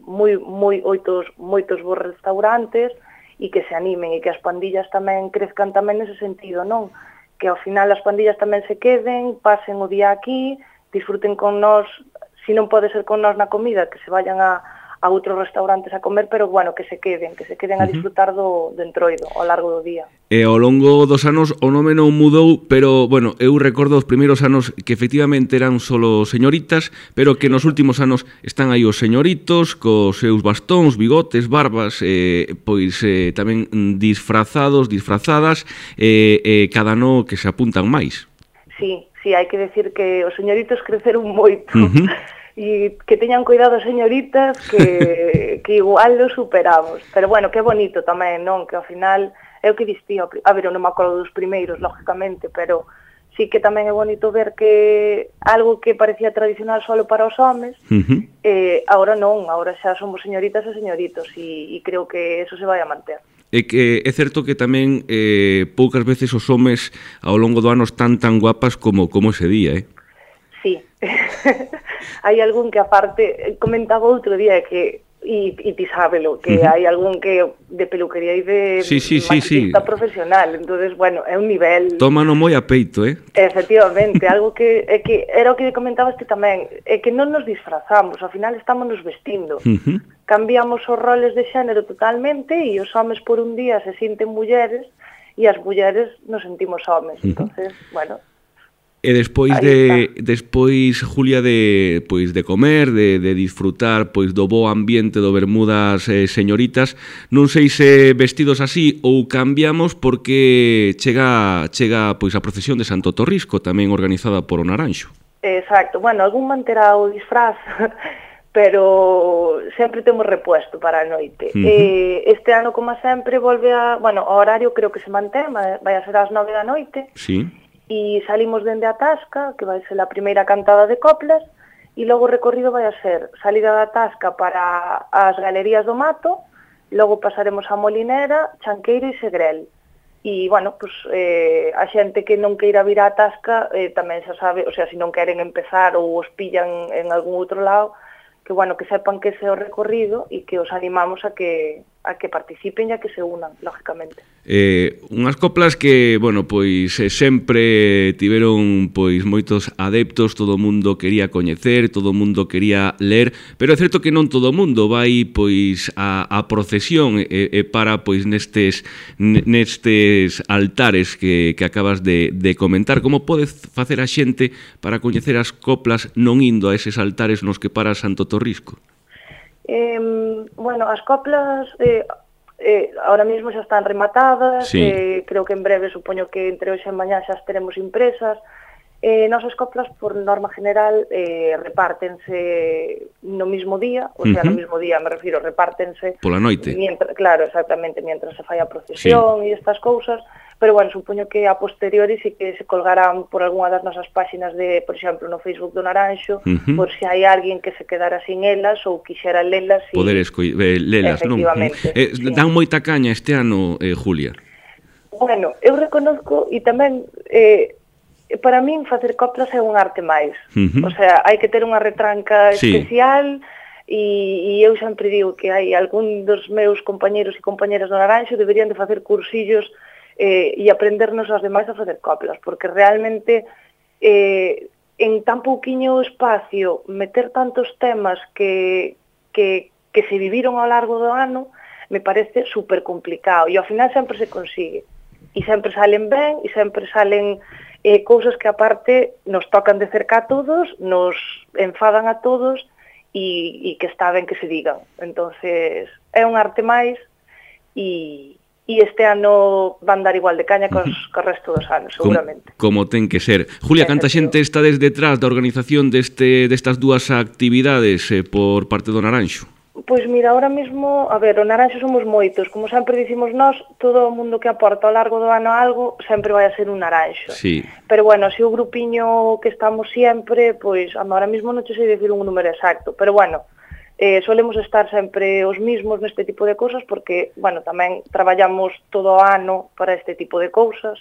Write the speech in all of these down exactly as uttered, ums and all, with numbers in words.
moi, moi, oitos, moitos bons restaurantes e que se animen e que as pandillas tamén crezcan tamén nese sentido, non? Que ao final as pandillas tamén se queden, pasen o día aquí, disfruten con nós, se non pode ser con nós na comida, que se vayan a a outros restaurantes a comer, pero bueno, que se queden, que se queden a disfrutar do, do entroido ao largo do día. E ao longo dos anos o nome non mudou, pero, bueno, eu recordo os primeiros anos que efectivamente eran solo señoritas, pero que nos últimos anos están aí os señoritos, cos seus bastóns, bigotes, barbas, eh, pois eh, tamén disfrazados, disfrazadas, e eh, eh, cada ano que se apuntan máis. Sí, sí, hai que decir que os señoritos creceron moito. Uh-huh. E que teñan cuidado as señoritas que, que igual lo superamos. Pero bueno, que bonito tamén, non? Que ao final é o que distía. A ver, eu non me acordo dos primeiros, lógicamente, pero sí que tamén é bonito ver que algo que parecía tradicional solo para os homes, uh-huh. eh, agora non, agora xa somos señoritas e señoritos e, e creo que eso se vai a manter. É que é certo que tamén eh, poucas veces os homes ao longo do ano están tan guapas como, como ese día, eh? Sí, hai algún que aparte, comentaba outro día que, e, e ti sábelo, que uh-huh. hai algún que de peluquería e de sí, sí, maquillista sí, sí. profesional, entonces bueno, é un nivel... Tómano moi a peito, eh? Efectivamente, algo que, é que era o que comentabas ti tamén, é que non nos disfrazamos, ao final estamos nos vestindo, uh-huh. cambiamos os roles de xénero totalmente e os homes por un día se sinten mulleres e as mulleres nos sentimos homes, uh-huh. entonces, bueno... E despois de despois Julia de pois de comer, de de disfrutar pois do bo ambiente do Bermudas eh, señoritas, non sei se vestidos así ou cambiamos porque chega chega pois a procesión de Santo Torrisco, tamén organizada por o Naranxo. Exacto. Bueno, algún manterá o disfraz, pero sempre temos repuesto para a noite. Uh-huh. eh, este ano, como sempre, volve a, bueno, o horario creo que se mantén, vai a ser ás nove da noite. Sí. E salimos dende a Tasca, que vai ser a primeira cantada de coplas, e logo o recorrido vai a ser salida da Tasca para as galerías do Mato, logo pasaremos a Molinera, Chanqueiro e Segrel. E, bueno, pues, eh, a xente que non queira vir á Tasca eh, tamén xa sabe, o sea, se non queren empezar ou os pillan en algún outro lado, que, bueno, que sepan que ese é o recorrido e que os animamos a que a que participen e a que se unan, lógicamente. Eh, unhas coplas que, bueno, pois eh, sempre tiveron pois moitos adeptos, todo o mundo quería coñecer, todo o mundo quería ler, pero é certo que non todo o mundo vai pois a, a procesión e, e para pois nestes nestes altares que, que acabas de, de comentar. Como pode facer a xente para coñecer as coplas non indo a eses altares nos que para Santo Torrisco? Eh, bueno, as coplas eh, eh, ahora mismo xa están rematadas, sí. eh, creo que en breve, supoño que entre hoxe e mañá xa as teremos impresas. Eh, nosas coplas, por norma general, eh, repártense no mismo día, o sea, uh-huh. no mismo día, me refiro, repártense... Pola noite. Mientras, claro, exactamente, mientras se fai a procesión sí. e estas cousas, pero, bueno, supoño que a posteriori sí que se colgarán por algunha das nosas páxinas de, por exemplo, no Facebook do Naranxo, uh-huh. por se hai alguén que se quedara sin elas ou quixera lelas. Y... Poder esco- eh, lelas, non? Eh, sí. Dan moita caña este ano, eh, Julia. Bueno, eu reconozco, e tamén... Eh, para min facer coplas é un arte máis. Uh-huh. O sea, hai que ter unha retranca sí. especial e, e eu sempre digo que hai algún dos meus compañeros e compañeras do Naranxo deberían de facer cursillos eh, e aprendernos aos demais a facer coplas, porque realmente eh, en tan pouquiño espacio meter tantos temas que, que, que se viviron ao largo do ano me parece super complicado e ao final sempre se consigue e sempre salen ben e sempre salen eh, cousas que aparte nos tocan de cerca a todos, nos enfadan a todos e, e que está ben que se digan. Entonces é un arte máis e e este ano van dar igual de caña cos, cos resto dos anos, seguramente. Como, como ten que ser. Julia, canta xente está desde detrás da organización deste, destas dúas actividades eh, por parte do Naranxo? Pois mira, ahora mismo, a ver, o Naranxo somos moitos, como sempre dicimos nós, todo o mundo que aporta ao largo do ano algo sempre vai a ser un Naranxo. Sí. Pero bueno, se o grupiño que estamos sempre, pois ahora mismo non te sei decir un número exacto, pero bueno, eh, solemos estar sempre os mismos neste tipo de cousas porque, bueno, tamén traballamos todo o ano para este tipo de cousas,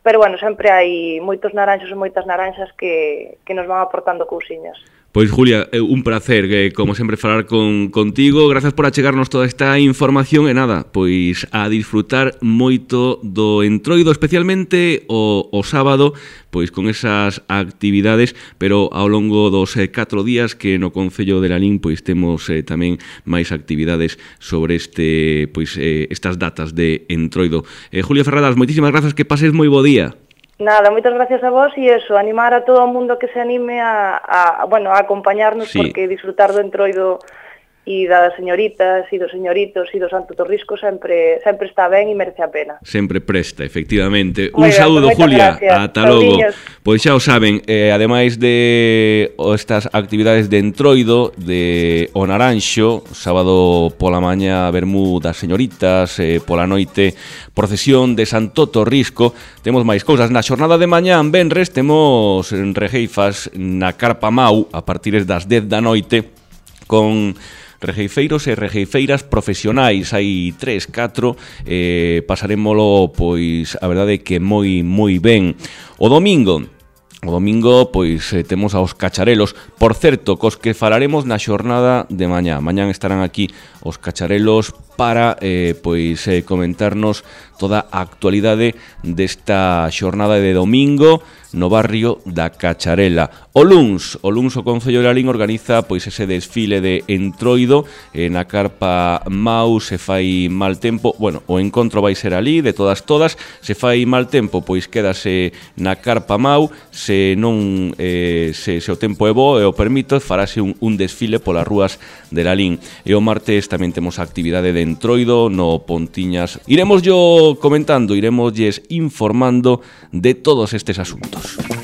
pero bueno, sempre hai moitos naranxos e moitas naranxas que, que nos van aportando cousiñas. Pois, Julia, un placer, que, como sempre, falar con, contigo. Grazas por achegarnos toda esta información e nada, pois a disfrutar moito do Entroido, especialmente o, o sábado, pois con esas actividades, pero ao longo dos eh, catro días que no Concello de Lalín pois temos eh, tamén máis actividades sobre este pois eh, estas datas de Entroido. Eh, Julia Ferradas, moitísimas grazas, que pases moi bo día. Nada, moitas gracias a vos e eso, animar a todo o mundo que se anime a, a bueno, a acompañarnos, sí, porque disfrutar do Entroido e das señoritas e dos señoritos e do Santo Torrisco sempre sempre está ben e merece a pena. Sempre presta, efectivamente. Muy un ben, saúdo, Julia. Ata logo. Pois xa o saben, eh, ademais de estas actividades de Entroido, de O Naranxo, sábado pola maña vermú das señoritas, eh, pola noite procesión de Santo Torrisco, temos máis cousas. Na xornada de mañá, en venres, temos regeifas na Carpa Mau a partir das dez da noite con regeifeiros e regeifeiras profesionais. Hai tres, catro, eh, pasarémolo, pois, a verdade que moi, moi ben. O domingo, o domingo, pois, eh, temos aos cacharelos, por certo, cos que falaremos na xornada de mañá. Mañán estarán aquí os cacharelos para, eh, pois, eh, comentarnos toda a actualidade desta xornada de domingo no barrio da Cacharela. O luns, o luns o Concello de Lalín organiza pois ese desfile de Entroido eh, na Carpa Mau. Se fai mal tempo, bueno, o encontro vai ser ali de todas todas. Se fai mal tempo, pois quédase na Carpa Mau. Se non eh, se, se o tempo é bo e o permito, farase un, un desfile polas rúas de Lalín. E o martes tamén temos a actividade de Entroido no Pontiñas. Iremos yo comentando, iremos lles informando de todos estes asuntos.